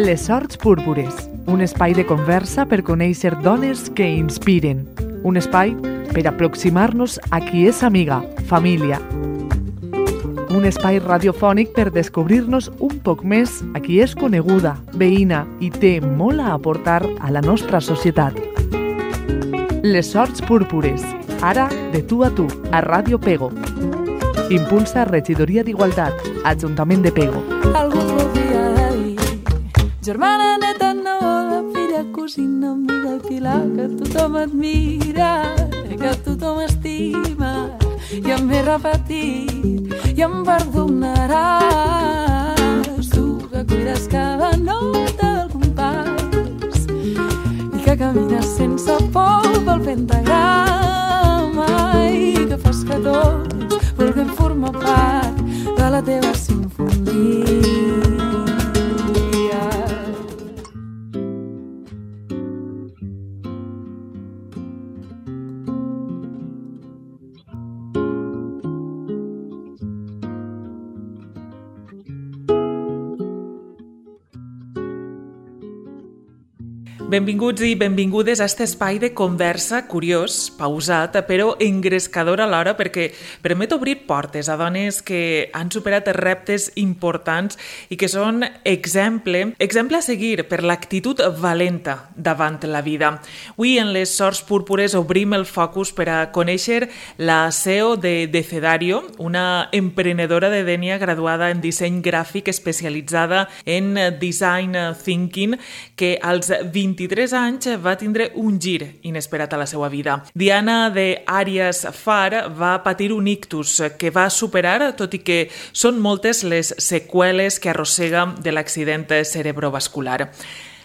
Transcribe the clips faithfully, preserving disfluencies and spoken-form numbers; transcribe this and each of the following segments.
Les Sorts Púrpures, un espai de conversa per conèixer dones que inspiren. Un espai per aproximar-nos a qui és amiga, família. Un espai radiofònic per descobrir-nos un poc més a qui és coneguda, veïna i té molt a aportar a la nostra societat. Les Sorts Púrpures, ara de tu a tu, a Ràdio Pego. Impulsa Regidoria d'Igualtat, Ajuntament de Pego. Algú podria dir, germana, neta, neboda, filla, cosina, amiga, pilar, que tothom admira, que tothom estima, i em ve repetit, i em perdonaràs, tu que cuides cada nota del compàs, i que camines sense por pel pentagrama, i que fas que tots vulguem formar part de la teva sinfonia. Benvinguts i benvingudes a este espai de conversa curiós, pausat, però engrescador alhora, perquè permet obrir portes a dones que han superat reptes importants i que són exemple, exemple a seguir per l'actitud valenta davant la vida. Avui en les Sorts Púrpures obrim el focus per a conèixer la C E O de Decedario, una emprenedora de Dénia graduada en disseny gràfic especialitzada en design thinking que als vint-i-tres anys va tindre un gir inesperat a la seva vida. Diana de Àries Far va patir un ictus que va superar, tot i que són moltes les seqüeles que arrossega de l'accident cerebrovascular.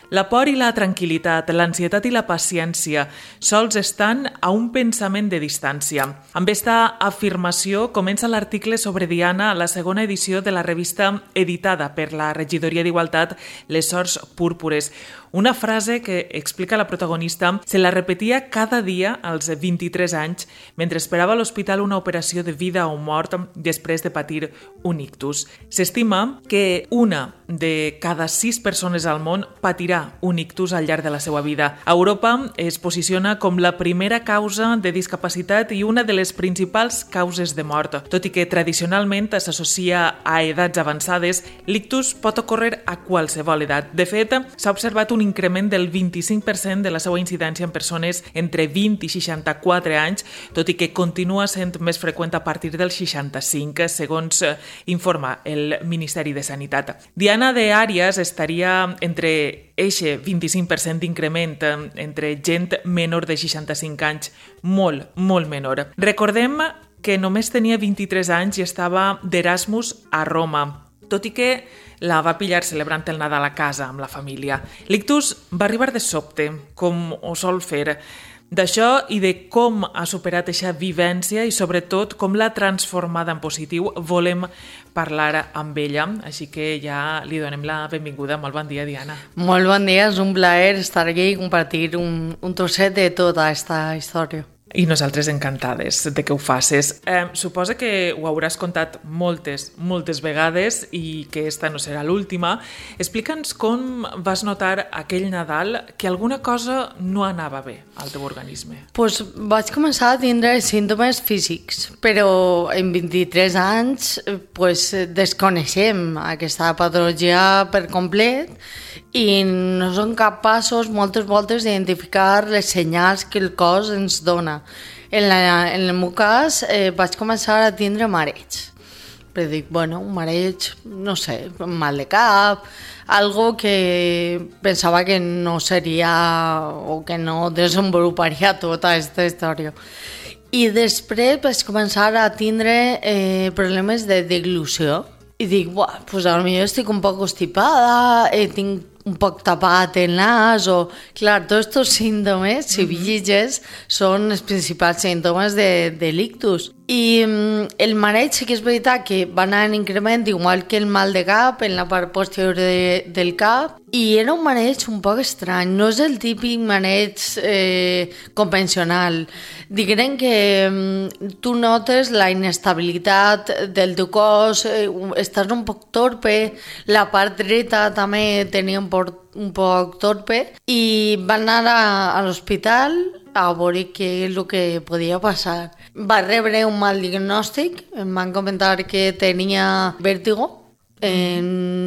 La por i la tranquil·litat, l'ansietat i la paciència sols estan a un pensament de distància. Amb esta afirmació comença l'article sobre Diana a la segona edició de la revista editada per la Regidoria d'Igualtat Les Sorts Púrpures. Una frase que, explica la protagonista, se la repetia cada dia als vint-i-tres anys mentre esperava a l'hospital una operació de vida o mort després de patir un ictus. S'estima que una de cada sis persones al món patirà un ictus al llarg de la seva vida. A Europa es posiciona com la primera causa de discapacitat i una de les principals causes de mort. Tot i que tradicionalment s'associa a edats avançades, l'ictus pot ocórrer a qualsevol edat. De fet, s'ha observat un increment del vint-i-cinc per cent de la seva incidència en persones entre vint i seixanta-quatre anys, tot i que continua sent més freqüent a partir dels seixanta-cinc, segons informa el Ministeri de Sanitat. Diana de Àries estaria entre eixe vint-i-cinc per cent d'increment entre gent menor de seixanta-cinc anys, molt, molt menor. Recordem que només tenia vint-i-tres anys i estava d'Erasmus a Roma, tot i que la va pillar celebrant el Nadal a casa amb la família. L'ictus va arribar de sobte, com ho sol fer. D'això i de com ha superat aquesta vivència i sobretot com l'ha transformada en positiu volem parlar amb ella, així que ja li donem la benvinguda. Molt bon dia, Diana. Molt bon dia, és un plaer estar aquí i compartir un, un trosset de tota aquesta història. I nosaltres encantades de que ho facis. Eh, suposa que ho hauràs contat moltes, moltes vegades i que esta no serà l'última. Explica'ns com vas notar aquell Nadal que alguna cosa no anava bé al teu organisme. Pues vaig començar a tindre símptomes físics, però en vint-i-tres anys pues, desconeixem aquesta patologia per complet i no som capaços moltes voltes d'identificar les senyals que el cos ens dona. En, la, en el meu cas eh, vaig començar a tindre mareig. Però dic, bueno, un mareig, no sé, mal de cap, algo que pensava que no seria o que no desenvoluparia tota aquesta història. I després vaig començar a tindre eh, problemes de deglució. I dic, buah, pues potser estic un poc constipada, eh, tinc un poc tapat el nas, o... Clar, tots aquests símptomes, si mm-hmm. vigiges, són els principals símptomes de, de l'ictus. I el mareig sí que és veritat que va anar en increment, igual que el mal de cap en la part posterior de, del cap, i era un mareig un poc estrany, no és el típic mareig eh, convencional. Diguem que eh, tu notes la inestabilitat del teu cos, eh, estàs un poc torpe, la part dreta també tenia un poc, un poc torpe, i van anar a, a l'hospital a veure què és el que podia passar. Va rebre un mal diagnòstic, em van comentar que tenia vèrtigo. Eh,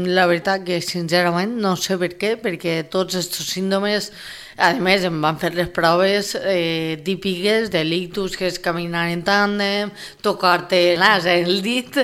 la veritat que sincerament no sé per què, perquè tots aquests símptomes, a més em van fer les proves eh, típiques de l'ictus, que és caminar en tàndem, tocar-te l'as en el dit,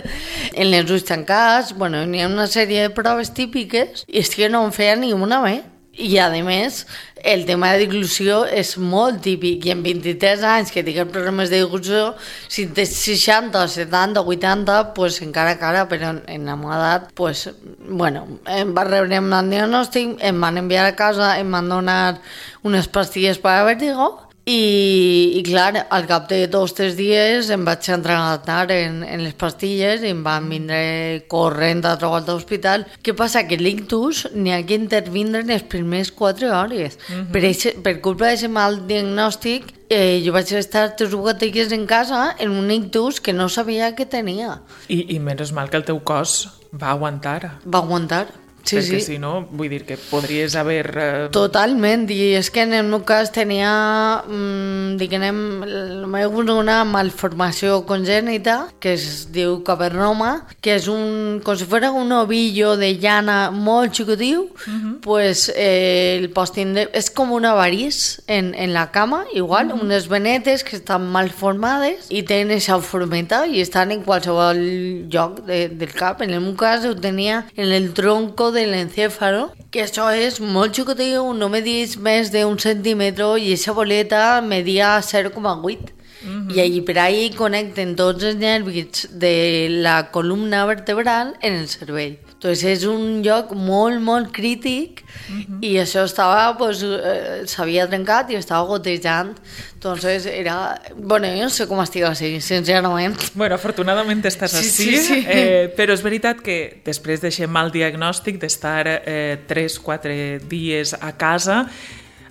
en les ulls tancats, bueno, n'hi ha una sèrie de proves típiques i és que no em feia ni una bé. I, a més, el tema de deglució és molt típic i en vint-i-tres anys que tingues problemes de deglució, si tens seixanta, setanta, vuitanta, pues encara cara, però en la meva edat, pues, bueno, em va rebre un diagnòstic, em van enviar a casa, em van donar unes pastilles per a vèrtigo. I, i clar, al cap de dos o tres dies em vaig entrenar en, en les pastilles i em van vindre corrent a trobar l'hospital. Què passa? Que l'ictus n'hi ha que intervindre en les primeres quatre hores. Uh-huh. Per, eixe, per culpa d'aquest mal diagnòstic, eh, jo vaig estar tres o quatre dies en casa en un ictus que no sabia que tenia. I, i menys mal que el teu cos va aguantar. Va aguantar. Sí, perquè sí. si no, vull dir que podries haver... Eh... Totalment, i és que en el meu cas tenia, mmm, diguem, una malformació congènita que es diu cavernoma, que és un, com si fos un ovillo de llana molt xicotiu, uh-huh. Pues eh, el pots tindre, és com una varís en, en la cama, igual, uh-huh. Unes venetes que estan mal formades i tenen aquesta formeta i estan en qualsevol lloc de, del cap. En el meu cas ho tenia en el tronco de l'encéfalo, que això és molt xicotiu, no medís més d'un centímetre i aquesta boleta media zero coma vuit. Uh-huh. I allí per ahí connecten tots els nervis de la columna vertebral en el cervell. Entonces és un lloc molt, molt crític, uh-huh. I això estava, pues, eh, s'havia trencat i estava gotejant. Entonces era... Bueno, jo no sé com estic així, sincerament. Bueno, afortunadament estàs sí, així, sí, sí. Eh, però és veritat que després d'aquest mal diagnòstic, d'estar eh, tres o quatre dies a casa,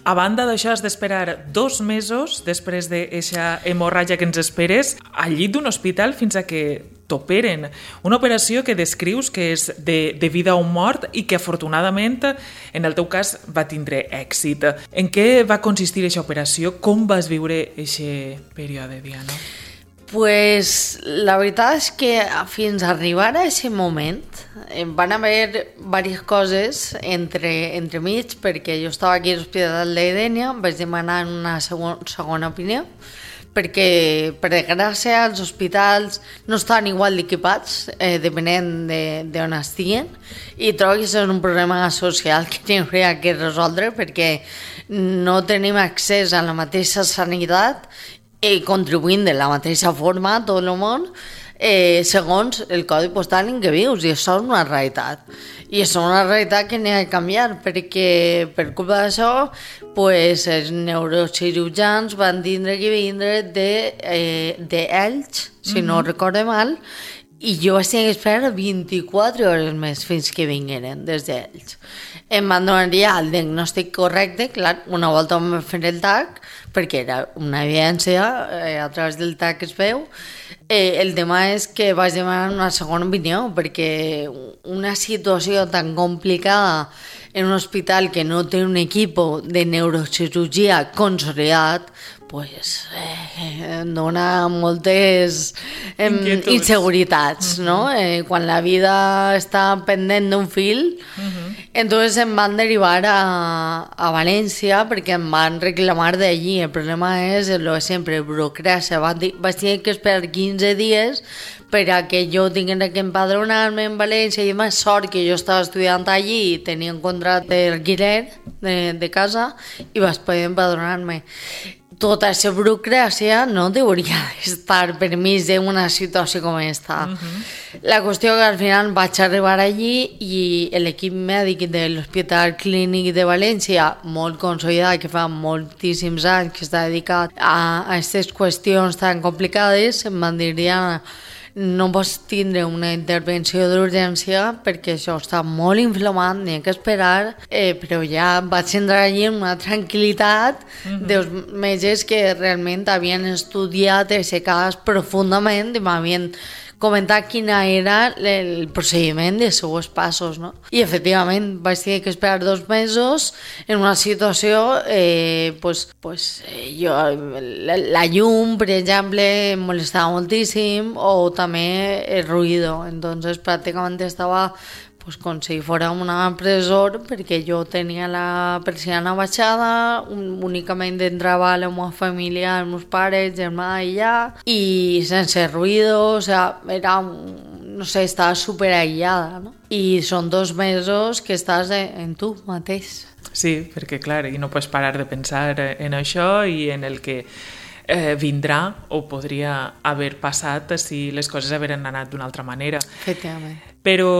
a banda d'això has d'esperar dos mesos després d'aquesta hemorràgia que ens esperes al llit d'un hospital fins a que t'operen. Una operació que descrius que és de, de vida o mort i que afortunadament en el teu cas va tindre èxit. En què va consistir aquesta operació? Com vas viure aquest període, Diana? Pues la veritat és que fins a arribar a aquest moment van haver diverses coses entre, entre mig, perquè jo estava aquí a l'Hospital de Dénia, vaig demanar una segon, segona opinió, perquè per desgràcia els hospitals no estan igual equipats, eh, depenent d'on de, estiguen, i trobo que això és un problema social que hauria que resoldre, perquè no tenim accés a la mateixa sanitat i contribuint de la mateixa forma a tot el món, eh, segons el codi postal en què vius, i això és una realitat. I això és una realitat que n'hi ha de canviar, perquè per culpa d'això, pues, els neurocirurgians van tindre que vindre d'Elx, de, eh, si no mm-hmm. recorde mal, i jo vaig tenir que esperar vint-i-quatre hores més fins que vingueren des d'ells. Em van donar ja el diagnòstic correcte, clar, una volta em van fer el T A C, perquè era una evidència, eh, a través del T A C es veu. Eh, el tema és que vaig demanar una segona opinió, perquè una situació tan complicada en un hospital que no té un equip de neurocirurgia consolidat, pues, eh, dona moltes eh, inseguretats, uh-huh. No? Eh, quan la vida està pendent d'un fil, uh-huh. Entonces em van derivar a, a València perquè em van reclamar d'allí. El problema és el de sempre, burocràcia. Vaig tenir que esperar quinze dies per a que jo tingués que empadronar-me en València, i més sort que jo estava estudiant allí i tenia un contracte d'alquiler de, de casa i vaig poder empadronar-me. tota aquesta burocràcia no hauria d'estar permís d'una situació com aquesta. Uh-huh. La qüestió que al final vaig arribar allí i l'equip mèdic de l'Hospital Clínic de València, molt consolidat, que fa moltíssims anys que està dedicat a aquestes qüestions tan complicades, em van dir, Diana, no pots tindre una intervenció d'urgència perquè això està molt inflamat, n'hi ha que esperar, eh, però ja vaig entrar allí amb una tranquil·litat uh-huh. dels metges que realment havien estudiat aquest cas profundament i m'havien comentar quina era el procediment dels seus passos, no? I efectivament vaig tenir que esperar dos mesos en una situació eh, pues, pues, eh, jo, la, la llum, per exemple, em molestava moltíssim, o també el ruïdo. Entonces pràcticament estava pues com si fora una presó, perquè jo tenia la persiana baixada, un, únicament entrava la meva família, els meus pares, germà i ja, i sense ruïdo, o sea, era, no sé, estava super aïllada, no? I són dos mesos que estàs en tu mateix. Sí, perquè clar, i no pots parar de pensar en això i en el que eh, vindrà o podria haver passat si les coses hagueren anat d'una altra manera. Efectivament. Però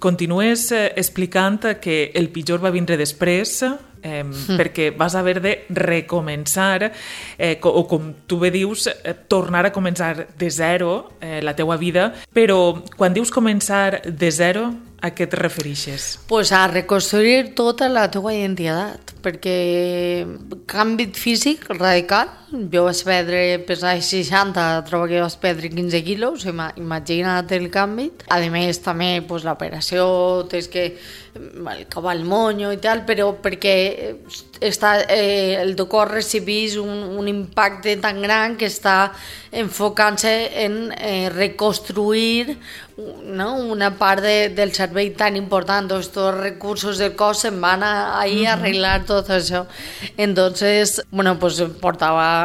continues eh, explicant que el pitjor va vindre després, eh, mm. perquè vas haver de recomençar, eh, o com tu bé dius, eh, tornar a començar de zero eh, la teua vida, però quan dius començar de zero, a què et refereixes? Pues a reconstruir tota la teua identitat, perquè canvi físic radical. Jo vaig perdre, pesar seixanta, trobo que vaig perdre quinze quilos, imagina't el canvi. A més, també pues, l'operació, tens que el cavall monyo i tal, però perquè està, eh, el teu cos recibís un, un impacte tan gran que està enfocant-se en eh, reconstruir, no? Una part de, del cervell tan important, tots els recursos del cos se'n van a, ahí a arreglar tot això. Entonces, bueno, pues portava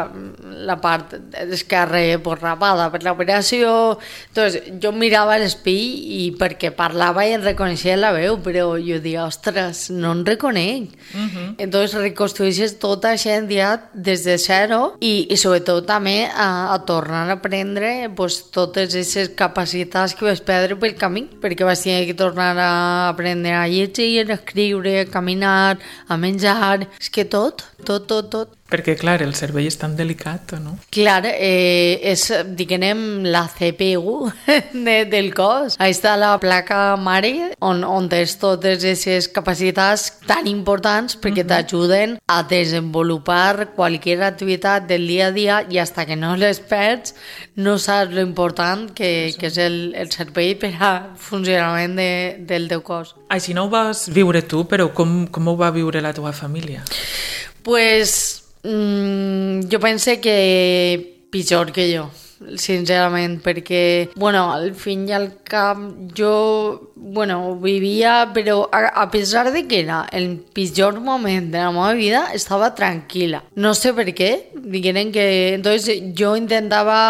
la part esquerra pues, rapada per l'operació. Entonces, jo mirava a l'espill i perquè parlava i em reconeixia la veu, però jo diia, ostres, no em reconec. Uh-huh. Entonces, reconstrueixes tota aquesta identitat des de zero i, i sobretot també a, a tornar a aprendre pues, totes aquestes capacitats que vaig perdre pel camí, perquè vaig tenir que tornar a aprendre a llegir, a escriure, a caminar, a menjar, és que tot, tot, tot, tot. Perquè, clar, el cervell és tan delicat, no? Clar, eh, és, diguem, la C P U de, del cos. Ahí està la placa mare, on, on tens totes aquestes capacitats tan importants perquè uh-huh. t'ajuden a desenvolupar qualsevol activitat del dia a dia i hasta que no les perds no saps lo important que, que és el, el cervell per a funcionament de, del teu cos. Així no ho vas viure tu, però com, com ho va viure la teva família? Pues mm, jo pense que pitjor que jo, sincerament, perquè, bueno, al fin i al cap jo, bueno, vivia, però a, a pesar de que era el pitjor moment de la meva vida, estava tranquil·la. No sé per què, diguem que... Entonces, jo intentava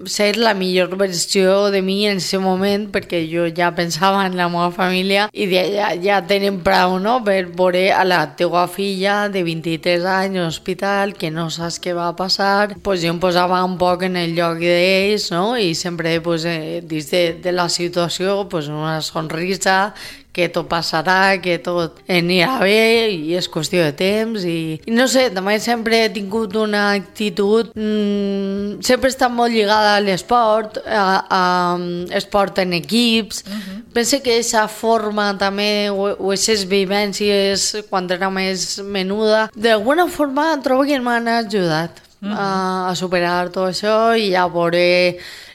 ser la millor versió de mi en aquest moment, perquè jo ja pensava en la meva família i deia, ja, ja tenen prou, no?, per veure a la teua filla de vint-i-tres anys a l'hospital, que no saps què va passar. Pues jo em posava un poc en el lloc d'ells, no?, i sempre, pues, eh, dins de, de la situació, pues, una sonrisa, que tot passarà, que tot anirà bé i és qüestió de temps i, i no sé, també sempre he tingut una actitud mmm, sempre he estat molt lligada a l'esport, a, a, a esport en equips. Uh-huh. Penso que aquesta forma també o, o aquestes vivències quan era més menuda d'alguna forma trobo que m'han ajudat uh-huh. a, a superar tot això i a veure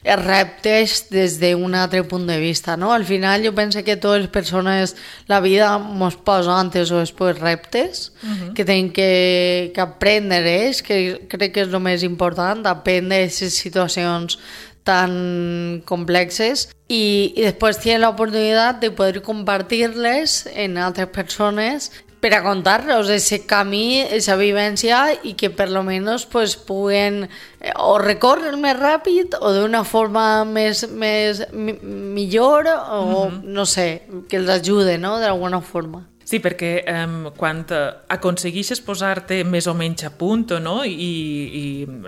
els reptes des d'un altre punt de vista, no? Al final jo penso que totes les persones, la vida ens posa antes o després reptes uh-huh. que tenim que, que aprendre, que crec que és el més important, aprendre aquestes situacions tan complexes i, i després tenen l'oportunitat de poder compartir-les en altres persones per a contar-los aquest camí, aquesta vivència i que per lo menos pues, puguen o recórrer més ràpid o d'una forma més, més mi, millor o uh-huh. no sé, que els ajude, no?, d'alguna forma. Sí, perquè um, quan aconsegueixes posar-te més o menys a punt, no? I, i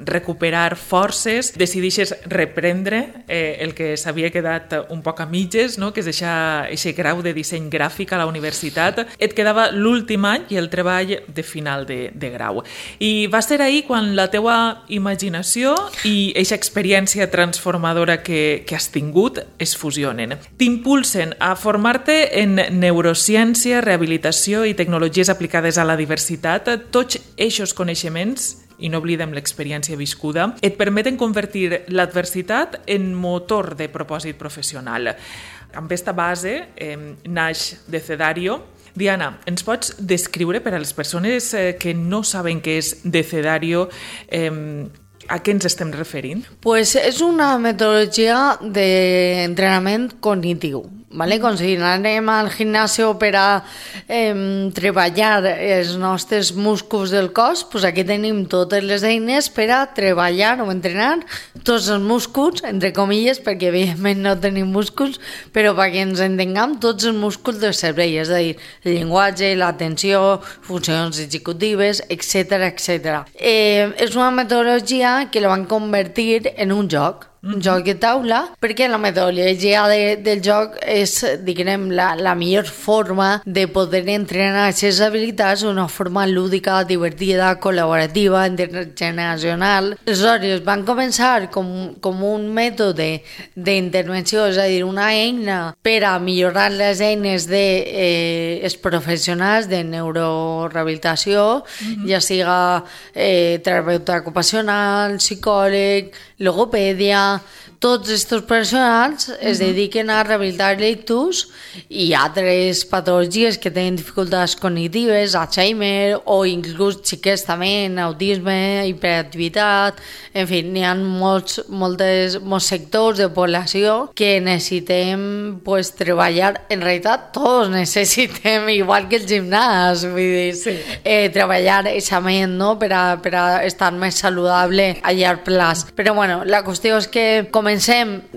recuperar forces, decideixes reprendre eh, el que s'havia quedat un poc a mitges, no? Que és deixar aquest grau de disseny gràfic a la universitat. Et quedava l'últim any i el treball de final de, de grau. I va ser ahir quan la teua imaginació i aquesta experiència transformadora que, que has tingut es fusionen. T'impulsen a formar-te en neurociència, rehabilitació i tecnologies aplicades a la diversitat. Tots aquests coneixements, i no oblidem l'experiència viscuda, et permeten convertir l'adversitat en motor de propòsit professional. Amb aquesta base eh, naix Decedario. Diana, ens pots descriure per a les persones eh, que no saben què és Decedario, eh, a què ens estem referint? Pues és una metodologia d'entrenament cognitiu. Vale? Com si anem al gimnasio per a eh, treballar els nostres músculs del cos, pues aquí tenim totes les eines per a treballar o entrenar tots els músculs, entre comilles, perquè evidentment no tenim músculs, però perquè ens entenguem tots els músculs del cervell, és a dir, el llenguatge, l'atenció, funcions executives, etcètera, etcètera. Eh, és una metodologia que la van convertir en un joc, un joc de taula, perquè la metodologia de, del joc és, diguem, la, la millor forma de poder entrenar aquestes habilitats d'una forma lúdica, divertida, col·laborativa, intergeneracional. Aleshores, van començar com, com un mètode d'intervenció, és a dir, una eina per a millorar les eines dels de, eh, professionals de neurorehabilitació, mm-hmm. ja siga eh, terapeuta ocupacional, psicòleg, logopèdia. Tots aquests professionals uh-huh. es dediquen a rehabilitar l'ictus i altres patologies que tenen dificultats cognitives, Alzheimer o inclús xiquets també, autisme, hiperactivitat, en fi, n'hi ha molts, moltes, molts sectors de població que necessitem pues, treballar, en realitat tots necessitem, igual que el gimnàs, vull dir, sí. eh, treballar eixament, no?, per a, per a estar més saludable a llarg plaç. Però bueno, la qüestió és que comencem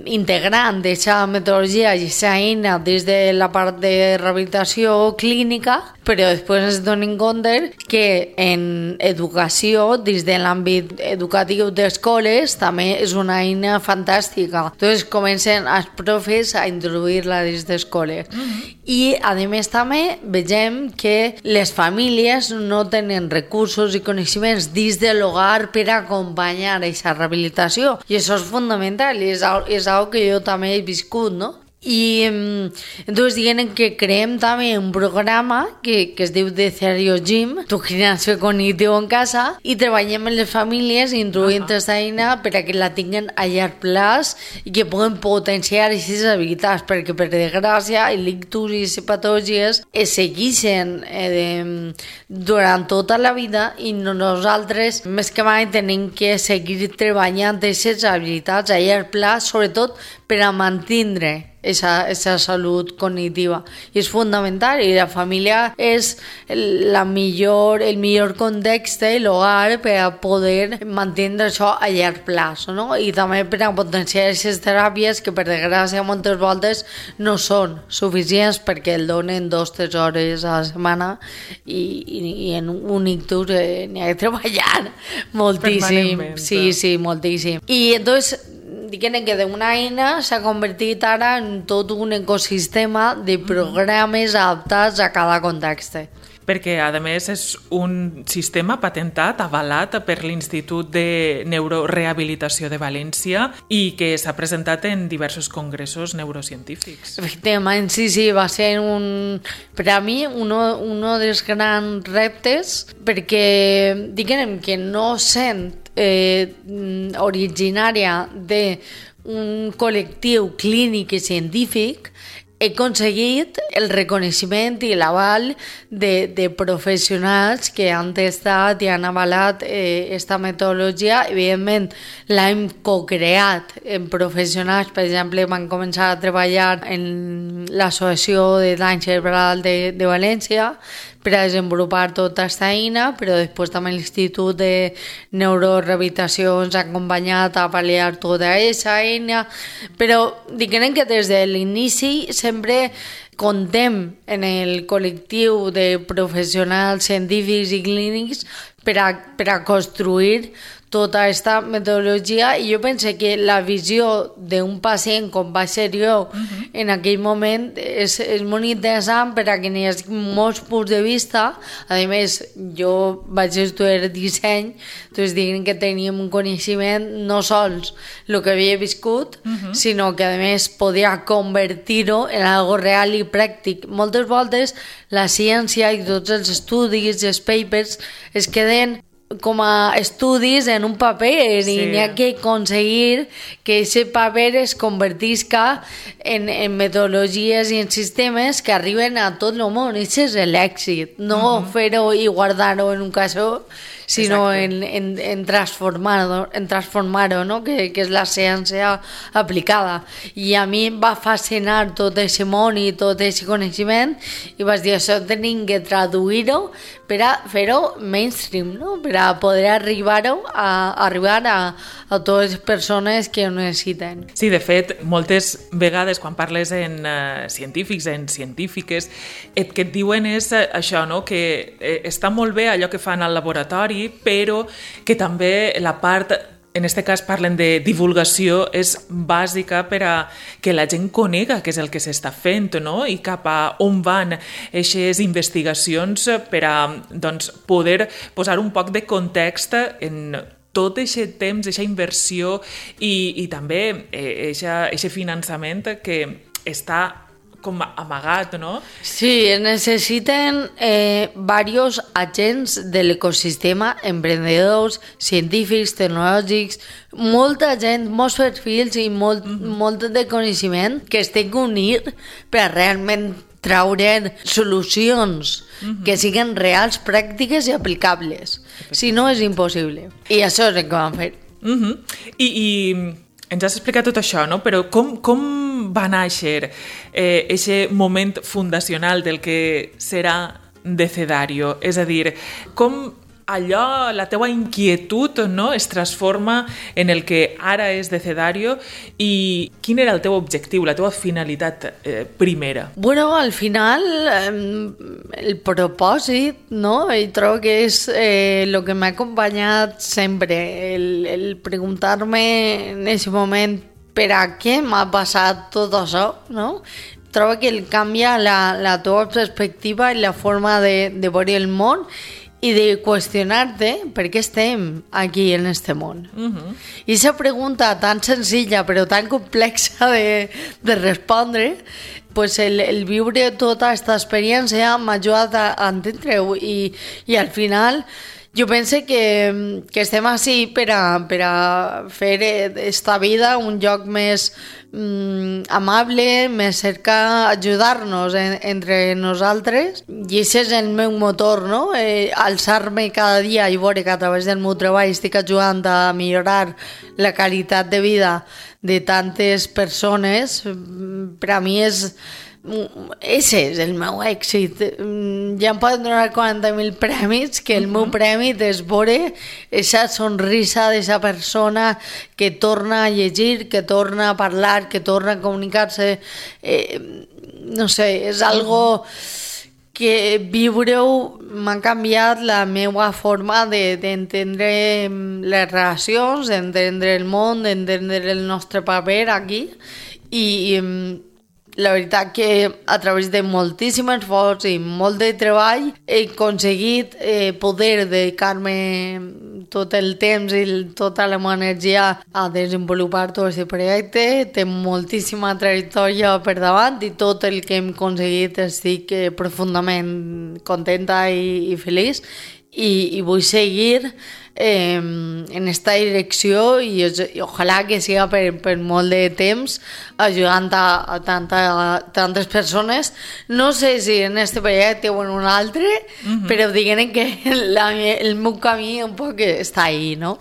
integrant aquesta metodologia i aquesta eina des de la part de rehabilitació clínica, però després ens donem compte que en educació, des de l'àmbit educatiu d'escoles, també és una eina fantàstica. Entonces comencen els profes a introduir-la des d'escoles. Mm-hmm. I, a més, també vegem que les famílies no tenen recursos i coneixements dins de l'hogar per acompanyar aquesta rehabilitació. I això és fundamental, i és, és algo que jo també he viscut, no? I entonces diguem que creem també un programa que, que es diu Decedario Gym, tu gimnasio cognitiu en casa, i treballem amb les famílies introduint aquesta uh-huh. eina per a que la tinguin a llarg plaç i que puguen potenciar aquestes habilitats, perquè per desgràcia l'ictus i les patologies es segueixen eh, durant tota la vida i nosaltres més que mai tenim que seguir treballant aquestes habilitats a llarg plaç, sobretot per a mantindre esa, esa salut cognitiva. I és fundamental, i la família és la millor, el millor context, l'hogar, per a poder mantenir això a llarg plaç, no? I també per a potenciar aquestes teràpies que per desgràcia moltes voltes no són suficients perquè el donen dos o tres hores a la setmana i, i, i en un ictus eh, n'hi ha que treballar moltíssim. Sí, sí, moltíssim. I entonces diguem que d'una eina s'ha convertit ara en tot un ecosistema de programes adaptats a cada context. Perquè, a més, és un sistema patentat, avalat per l'Institut de Neurorehabilitació de València i que s'ha presentat en diversos congressos neurocientífics. Efectivament, sí, sí, va ser un, per a mi un dels grans reptes, perquè diguem que no sent eh, originària d'un col·lectiu clínic i científic, he aconseguit el reconeixement i l'aval de, de professionals que han testat i han avalat aquesta eh, metodologia. Evidentment, l'hem co-creat en professionals. Per exemple, van començar a treballar en l'Associació de Dany Cerebral de, de València per a desenvolupar tota aquesta eina, però després també l'Institut de Neurorehabilitació ens ha acompanyat a pal·liar tota aquesta eina. Però diguem que des de l'inici sempre contem en el col·lectiu de professionals científics i clínics per a, per a construir tota aquesta metodologia, i jo penso que la visió d'un pacient com va ser jo uh-huh. en aquell moment és, és molt interessant per a que n'hi hagi molts punts de vista. A més, jo vaig estudiar disseny, doncs diguem que teníem un coneixement no sols el que havia viscut, uh-huh. sinó que a més podia convertir-ho en algo real i pràctic. Moltes voltes la ciència i tots els estudis i els papers es queden com a estudis en un paper, sí. i n'hi ha que aconseguir que aquest paper es convertisca en, en metodologies i en sistemes que arriben a tot el món. Això és l'èxit, no uh-huh. fer-ho i guardar-ho en un caixó, sinó en, en, en transformar-ho, en transformar-ho, no? que, que és la ciència aplicada. I a mi em va fascinar tot aquest món i tot aquest coneixement, i vaig dir, això tenim que traduir-ho per a fer-ho mainstream, no? Per a poder arribar-ho a, arribar a, a totes les persones que ho necessiten. Sí, de fet, moltes vegades quan parles en uh, científics, en científiques, el que et diuen és uh, això, no? que eh, està molt bé allò que fan al laboratori, però que també la part, en aquest cas parlen de divulgació, és bàsica per a que la gent conega què és el que s'està fent, no? I cap a on van aquestes investigacions per a doncs, poder posar un poc de context en tot aquest temps, aquesta inversió i, i també aquest finançament que està com amagat, no? Sí, es necessiten eh, varios agents de l'ecosistema, emprendedors, científics, tecnològics, molta gent, molts perfils i molt, mm-hmm. molt de coneixement que es té que unir per a realment traure solucions mm-hmm. que siguin reals, pràctiques i aplicables. Si no, és impossible. I això és el que vam fer. Mm-hmm. I... i... ens has explicat tot això, no? Però com, com va néixer aquest eh, moment fundacional del que serà Decedario? És a dir, com allò, la teua inquietud, no? es transforma en el que ara és Decedario, i quin era el teu objectiu, la teua finalitat eh, primera? Bueno, al final, eh, el propòsit, no? I trobo que és eh, el que m'ha acompanyat sempre, el, el preguntar-me en aquest moment per a què m'ha passat tot això, no? Trobo que el canvia la, la teva perspectiva i la forma de, de veure el món, i de qüestionar-te per què estem aquí en este món. Uh-huh. I aquesta pregunta tan senzilla però tan complexa de, de respondre, pues el, el viure tota aquesta experiència m'ha ajudat a, a entendre-ho, i, i al final jo penso que, que estem així per a, per a fer esta vida un lloc més mm, amable, més cerca ajudar-nos en, entre nosaltres, i aquest és el meu motor, no? Eh, alçar-me cada dia i veure que a través del meu treball estic ajudant a millorar la qualitat de vida de tantes persones. Per a mi és ese és el meu èxit. Ja em poden donar quaranta mil premis, que el uh-huh. meu premi és veure aquesta sonrisa d'aquesta persona que torna a llegir, que torna a parlar, que torna a comunicar-se. Eh, no sé, és algo que viure-ho m'ha canviat la meva forma de, d'entendre les relacions, d'entendre el món, d'entendre el nostre paper aquí, i, i la veritat que a través de moltíssim esforç i molt de treball he aconseguit eh, poder dedicar-me tot el temps i tota la meva energia a desenvolupar tot aquest projecte. Té moltíssima trajectòria per davant i tot el que hem aconseguit estic eh, profundament contenta i, i feliç, i, i vull seguir eh, en esta direcció, i, i ojalà que siga per, per molt de temps ajudant a, a, tanta, a tantes persones. No sé si en este projecte o en un altre, uh-huh. però diguem que la, el meu camí un poc està ahí, no?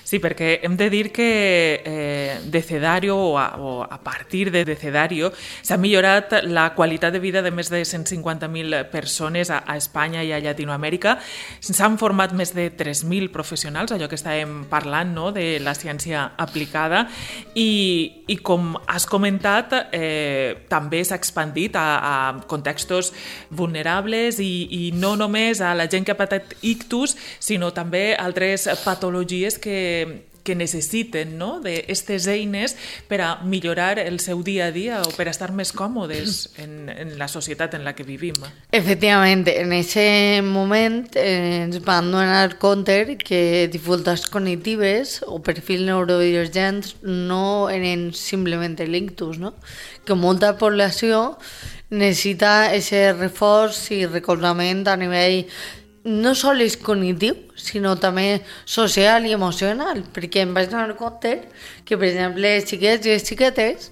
Sí, perquè hem de dir que eh, Decedario o a, o a partir de Decedario s'ha millorat la qualitat de vida de més de cent cinquanta mil persones a, a Espanya i a Llatinoamèrica. S'han format més de tres mil professionals, allò que estàvem parlant, no?, de la ciència aplicada, i, i com has comentat, eh, també s'ha expandit a, a contextos vulnerables i, i no només a la gent que ha patit ictus, sinó també a altres patologies que, que necessiten, no?, d'aquestes eines per a millorar el seu dia a dia o per a estar més còmodes en, en la societat en la que vivim. Efectivament, en aquest moment eh, ens van donar compte que dificultats cognitives o perfils neurodivergents no eren simplement l'ictus, no? Que molta població necessita aquest reforç i recolzament a nivell no sols cognitiu, sinó també social i emocional, perquè em vaig donar compte que, per exemple, els xiquets i les xiquetes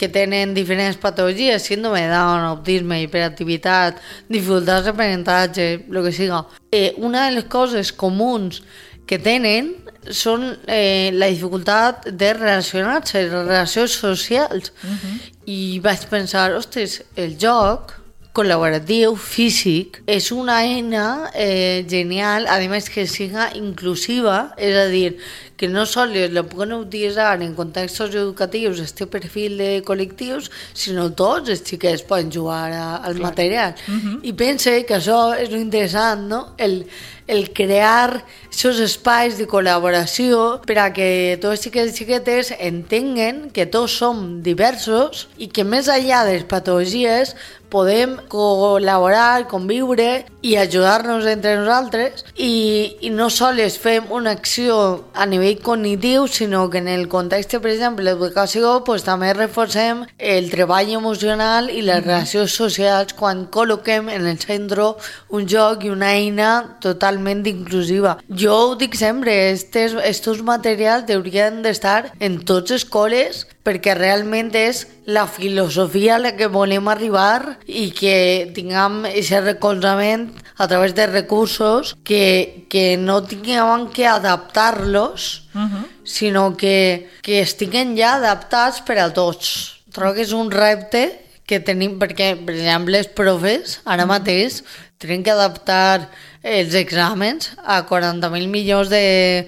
que tenen diferents patologies, síndrome de Down, autisme, hiperactivitat, dificultats d'aprenentatge, el que siga, eh, una de les coses comuns que tenen són eh, la dificultat de relacionar-se, les relacions socials. Uh-huh. I vaig pensar, ostres, el joc col·laboratiu, físic, és una eina eh, genial, a més que siga inclusiva, és a dir, que no sols la poden utilitzar en contextos educatius, este perfil de col·lectius, sinó tots els xiquets poden jugar a, al Clar. material. Uh-huh. I pense que això és interessant, no?, el, el crear aquests espais de col·laboració per a que tots els xiquets i xiquetes entenguen que tots som diversos i que més enllà de les patologies podem col·laborar, conviure i ajudar-nos entre nosaltres i, i no sols fem una acció a nivell cognitiu, sinó que en el context, per exemple, l'educació, pues, també reforcem el treball emocional i les relacions socials quan col·loquem en el centre un joc i una eina totalment inclusiva. Jo ho dic sempre, estes, estos materials haurien d'estar en totes les escoles perquè realment és la filosofia a la que volem arribar i que tinguem aquest recolzament a través de recursos que, que no tinguem que adaptar-los, uh-huh. sinó que, que estiguen ja adaptats per a tots. Trobo que és un repte que tenim, perquè, per exemple, els profes ara uh-huh. mateix tenen que adaptar els exàmens a quaranta mil milions de,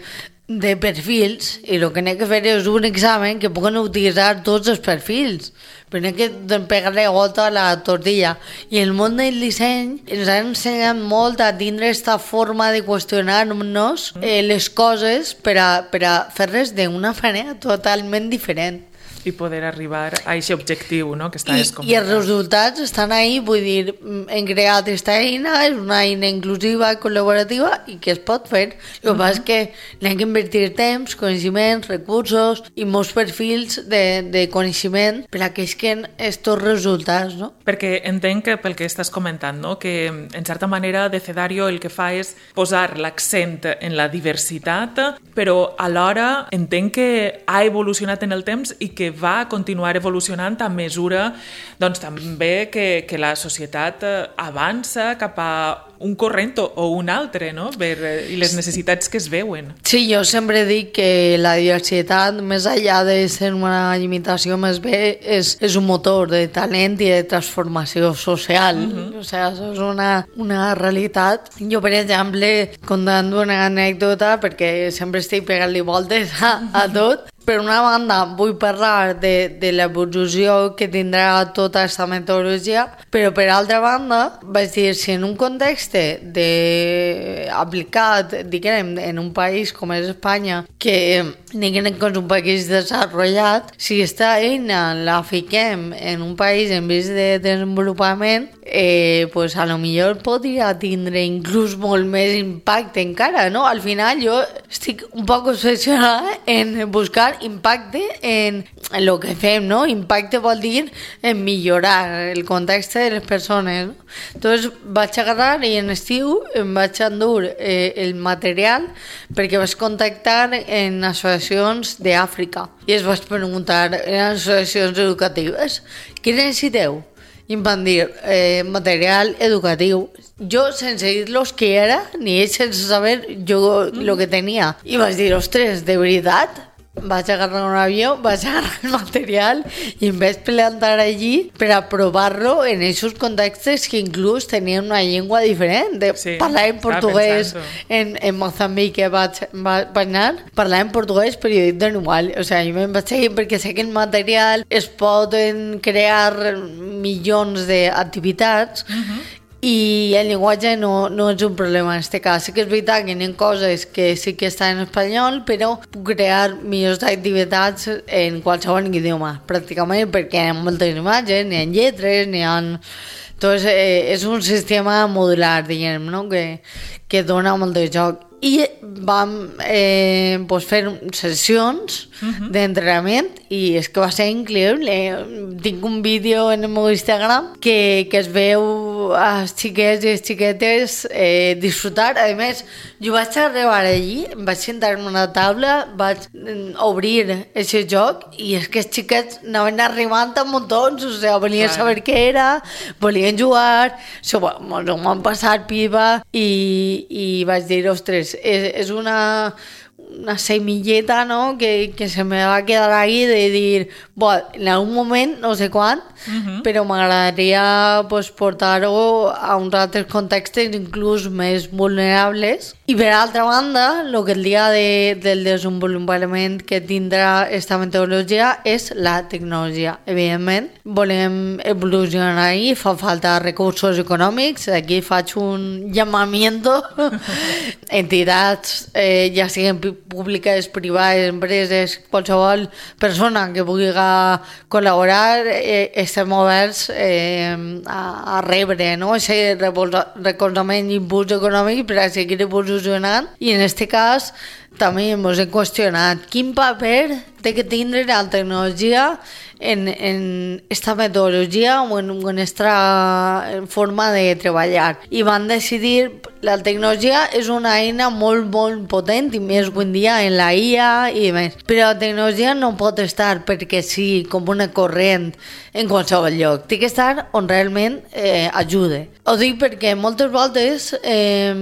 de perfils i el que n'he que fer és un examen que puguen utilitzar tots els perfils, però n'he que pegar-li gota a la tortilla. I el món del disseny ens ha ensenyat molt a tindre aquesta forma de qüestionar-nos eh, les coses per a, per a fer-les d'una manera totalment diferent. I poder arribar a aquest objectiu, no?, que estaves comentant. I els resultats estan ahí, vull dir, hem creat aquesta eina, és una eina inclusiva, col·laborativa i que es pot fer. El que passa és que n'hem d'invertir temps, coneixements, recursos i molts perfils de, de coneixement per a que isquen estos resultats, no? Perquè entenc que pel que estàs comentant, no?, que en certa manera Decedario el que fa és posar l'accent en la diversitat, però alhora entenc que ha evolucionat en el temps i que va continuar evolucionant a mesura, doncs, també que, que la societat avança cap a un corrent o un altre, no?, per, i les necessitats que es veuen. Sí, jo sempre dic que la diversitat, més enllà de ser una limitació més bé, és, és un motor de talent i de transformació social. Uh-huh. O sigui, això és una, una realitat. Jo, per exemple, contant una anècdota, perquè sempre estic pegant-li voltes a, a tot, per una banda, vull parlar de, de l'evolució que tindrà tota aquesta metodologia, però per altra banda, vaig dir, si en un context de aplicat, diguem, en un país com és Espanya, que diguem que és un país desenvolupat, si aquesta eina la fiquem en un país en vist de desenvolupament, eh, pues a lo millor podria tindre inclús molt més impacte encara, no? Al final jo estic un poc obsessionada en buscar impacte en el que fem, no? Impacte vol dir en millorar el context de les persones, no? Entonces vaig agarrar i en estiu em vaig endur eh, el material perquè vaig contactar en associacions d'Àfrica i es vaig preguntar en associacions educatives què necessiteu? i em van dir eh, material educatiu. Jo, sense dir-los què era, ni ells sense saber jo el mm. que tenia. I vaig dir, ostres, de veritat? Vaig agarrar un avió, vaig agarrar el material i em vaig plantar allí per a provar-lo en aquests contextes que inclús tenien una llengua diferent. De, sí, parlaven portuguès en, en Moçambic, que vaig, vaig anar, parlaven portuguès però jo dic de igual. O sigui, jo me'n vaig seguir perquè sé que el material es poden crear milions d'activitats uh-huh. i el llenguatge no, no és un problema en aquest cas. Sí que és veritat que hi ha coses que sí que estan en espanyol, però puc crear millors activitats en qualsevol idioma, pràcticament, perquè hi ha moltes imatges, n'hi ha lletres, n'hi ha... Entonces, eh, és un sistema modular, diguem, no? que, que dona molt de joc. I vam eh, pues fer sessions uh-huh. d'entrenament i és que va ser increïble. Tinc un vídeo en el meu Instagram que, que es veu als xiquets i les xiquetes eh, disfrutar. A més, jo vaig arribar allí, em vaig sentar en una taula, vaig obrir aquest joc i és que els xiquets anaven arribant a muntons, o sigui, volien claro. saber què era, volien jugar, so, mos ho van passar pipa i, i vaig dir, ostres, és, és una, una semilleta, no?, que, que se me va quedar ahí de dir, bueno, en algun moment, no sé quan, uh-huh. però m'agradaria pues, portar-ho a uns altres contextos inclús més vulnerables. I per altra banda, el que el dia de, del desenvolupament que tindrà aquesta metodologia és la tecnologia. Evidentment, volem evolucionar i fa falta recursos econòmics. Aquí faig un llamamiento. Entitats, eh, ja siguin públiques, privades, empreses, qualsevol persona que pugui col·laborar, eh, estem oberts eh, a, a rebre, no?, aquest recolzament i impuls econòmic per a seguir evolucionant. I en aquest cas també ens hem qüestionat quin paper té que tindre la tecnologia en, en esta metodologia o en aquesta forma de treballar. I van decidir, la tecnologia és una eina molt, molt potent i més avui en dia en la I A i més. Però la tecnologia no pot estar perquè sí, com una corrent en qualsevol lloc. Té que estar on realment eh, ajude. Ho dic perquè moltes voltes eh,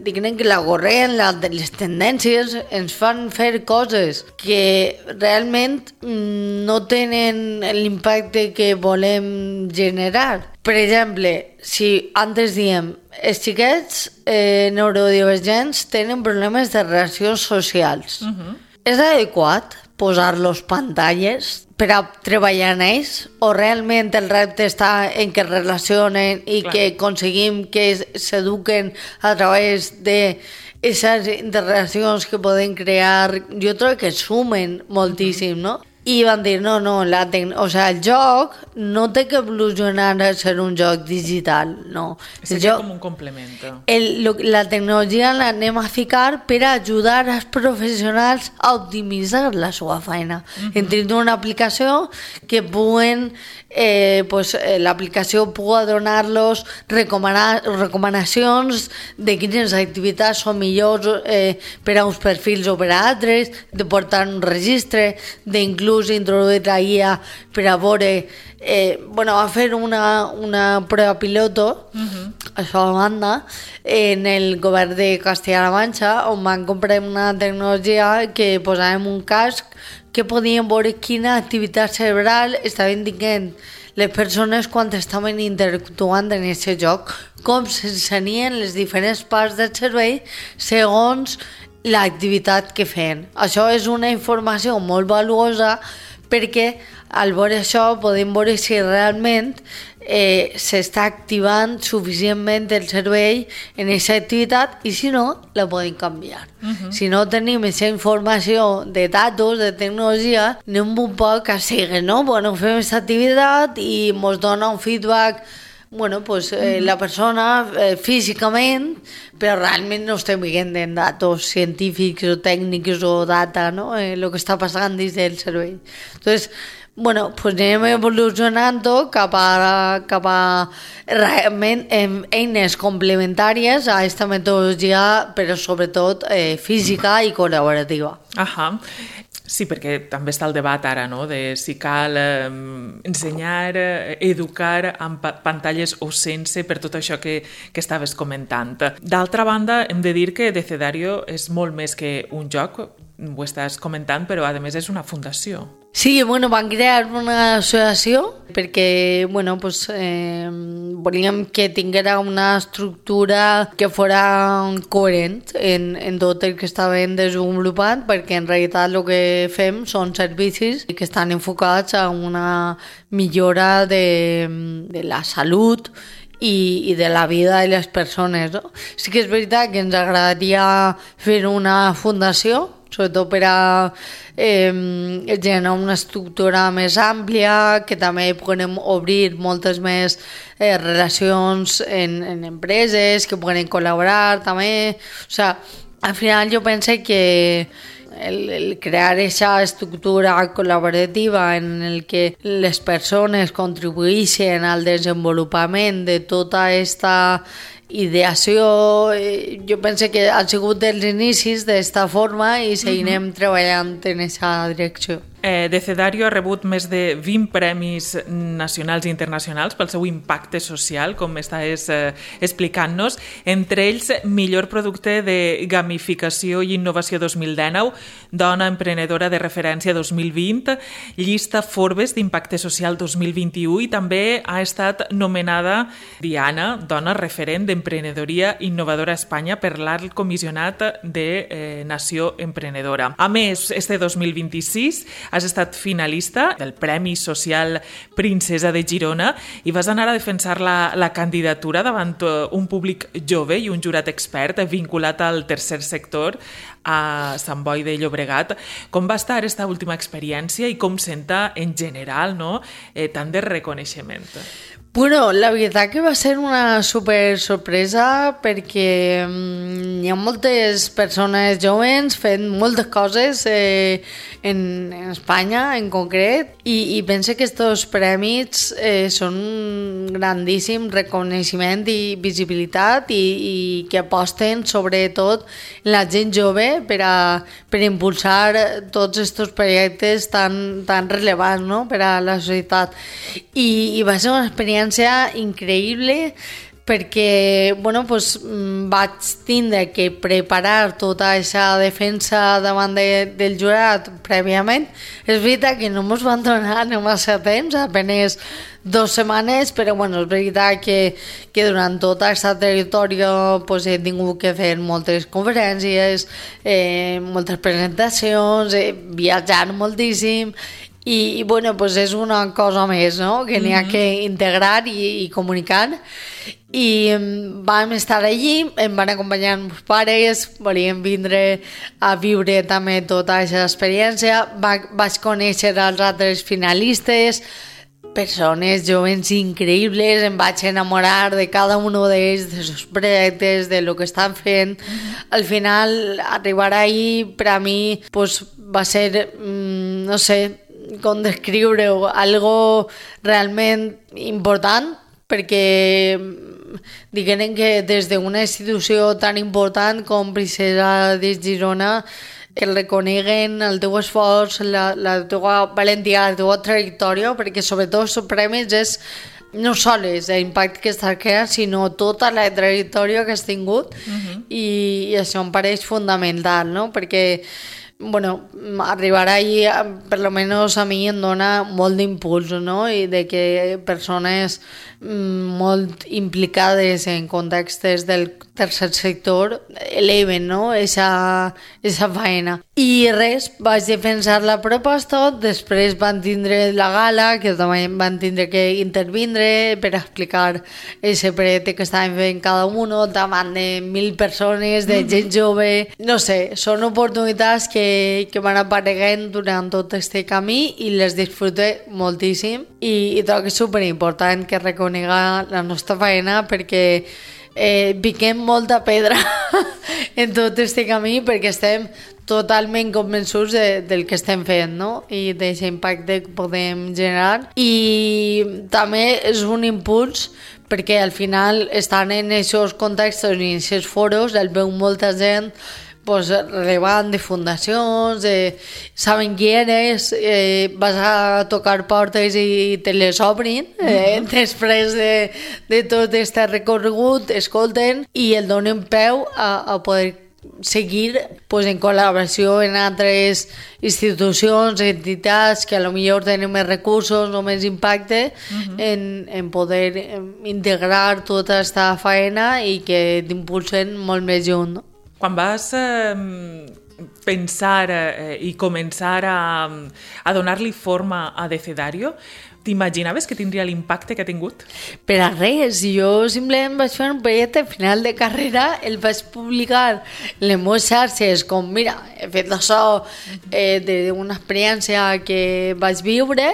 diguen que la corrent, la, les tendències ens fan fer coses que realment no tenen l'impacte que volem generar. Per exemple, si antes diem els xiquets eh, neurodivergents tenen problemes de relacions socials, uh-huh. és adequat posar-los pantalles per a treballar en ells o realment el repte està en que es relacionen i Clar. que aconseguim que s'eduquen a través de aquestes interrelacions que poden crear, jo trobo que sumen moltíssim, no? I van dir, no, no, la tec... o sigui, el joc no té que evolucionar a ser un joc digital, no. És joc... com un complemento. El, lo, la tecnologia l'anem a ficar per a ajudar als professionals a optimitzar la seva feina. Uh-huh. Entre una aplicació que puguen, eh, pues, eh, l'aplicació pugui donar-los recomana recomanacions de quines activitats són millors eh, per a uns perfils o per a altres, de portar un registre, d'inclús introduir la guia per a veure eh, bueno, va fer una, una prova piloto uh-huh. això a banda en el govern de Castilla-La Manxa on van comprar una tecnologia que posàvem un casc que podíem veure quina activitat cerebral estaven dient les persones quan estaven interactuant en aquest joc, com s'ensenien les diferents parts del cervell segons l'activitat que feien. Això és una informació molt valuosa perquè al veure això podem veure si realment eh, s'està activant suficientment el cervell en aquesta activitat i si no, la podem canviar. Uh-huh. Si no tenim aquesta informació de datos, de tecnologia, anem un poc a seguir, no? Bueno, fem aquesta activitat i ens dona un feedback bueno, pues eh, la persona eh, físicament, però realment no estem veient en datos científics o tècnics o data, no? Eh, el que està passant dins del cervell. Entonces, bueno, pues anem evolucionant cap a, cap a realment eines complementàries a aquesta metodologia, però sobretot eh, física i col·laborativa. Ahà. Sí, perquè també està el debat ara, no?, de si cal eh, ensenyar, eh, educar amb pa pantalles o sense, per tot això que, que estaves comentant. D'altra banda, hem de dir que Decedario és molt més que un joc, ho estàs comentant, però a més és una fundació. Sí, bueno, van crear una associació perquè, bueno, pues, eh, volíem que tinguera una estructura que fora coherent en, en tot el que estàvem desenvolupant, perquè en realitat el que fem són servicis que estan enfocats a una millora de, de la salut i, i de la vida de les persones, no? Sí que és veritat que ens agradaria fer una fundació, sobretot per a eh, generar una estructura més àmplia, que també podem obrir moltes més eh, relacions en, en empreses, que poden col·laborar també. O sigui, al final jo penso que el, el crear aquesta estructura col·laborativa en el que les persones contribueixen al desenvolupament de tota aquesta ideació, jo penso que ha sigut dels inicis d'esta forma i seguirem uh-huh. treballant en aquesta direcció. Eh, Decedario ha rebut més de vint premis nacionals i internacionals pel seu impacte social, com estàs eh, explicant-nos, entre ells millor producte de gamificació i innovació dos mil dinou, dona emprenedora de referència dos mil vint, llista Forbes d'impacte social dos mil vint-i-u i també ha estat nomenada Diana, dona referent d'emprenedoria innovadora a Espanya per l'Alt Comissionat de eh, Nació Emprenedora. A més, este dos mil vint-i-sis has estat finalista del Premi Social Princesa de Girona i vas anar a defensar la, la candidatura davant un públic jove i un jurat expert vinculat al tercer sector a Sant Boi de Llobregat. Com va estar aquesta última experiència i com senta en general, no?, eh, tant de reconeixement? Bueno, la veritat que va ser una super sorpresa perquè um, hi ha moltes persones joves fent moltes coses eh, en, en Espanya en concret i, i penso que aquests premis eh, són un grandíssim reconeixement i visibilitat i, i que aposten sobretot la gent jove per a per impulsar tots aquests projectes tan, tan rellevants, no?, per a la societat. I, i va ser una experiència increïble perquè bueno, pues, vaig tindre que preparar tota aquesta defensa davant de, del jurat prèviament. És veritat que no ens van donar no massa temps, apenas dos setmanes, però bueno, és veritat que, que durant tota aquesta trajectòria pues, he tingut que fer moltes conferències, eh, moltes presentacions, eh, viatjar moltíssim. I, i bueno, pues és una cosa més, no?, que n'hi ha que integrar i, i comunicar. I vam estar allí, em van acompanyar meus pares, volíem vindre a viure també tota aquesta experiència. Va, vaig conèixer els altres finalistes, persones joves increïbles, em vaig enamorar de cada un d'ells, de sus projectes, de lo que estan fent. Al final, arribar ahí, per a mi, pues, va ser, mm, no sé, com descriure-ho, algo realment important, perquè diguem que des d'una institució tan important com Princesa de Girona que reconeguen el teu esforç, la, la teua valentia, la teua trajectòria, perquè sobretot els premis és no sols l'impacte que estàs creant, sinó tota la trajectòria que has tingut. Uh-huh. i, i això em pareix fundamental, no?, perquè bueno, arribar ahí, per lo menos a mi em dona molt d'impuls, no?, i de que persones molt implicades en contextes del tercer sector eleven, no?, esa, esa faena. I res, vaig defensar la proposta, després van tindre la gala, que també van tindre que intervindre per explicar ese projecte que estaven fent cada un, davant de mil persones, de gent jove. No sé, són oportunitats que, que van apareguent durant tot este camí i les disfrute moltíssim i, i trobo que és superimportant que reconega la nostra feina perquè eh, piquem molta pedra en tot este camí perquè estem totalment convençuts de, del que estem fent, no?, i d'aquest impacte que podem generar. I també és un impuls perquè al final estan en aquests contextos i en aquests foros el veu molta gent pues, relevant de fundacions, eh, saben qui eres, eh, vas a tocar portes i te les obrin, eh, mm-hmm. després de, de tot aquest recorregut, escolten i el donen peu a, a poder seguir pues, en col·laboració en altres institucions, entitats que a lo millor tenen més recursos o més impacte uh-huh. en, en poder integrar tota aquesta faena i que t'impulsen molt més junt. No? Quan vas eh, pensar eh, i començar a, a donar-li forma a Decedario, t'imaginaves que tindria l'impacte que ha tingut? Per a res, jo simplement vaig fer un projecte final de carrera, el vaig publicar en les meves xarxes com, mira, he fet això eh, d'una experiència que vaig viure,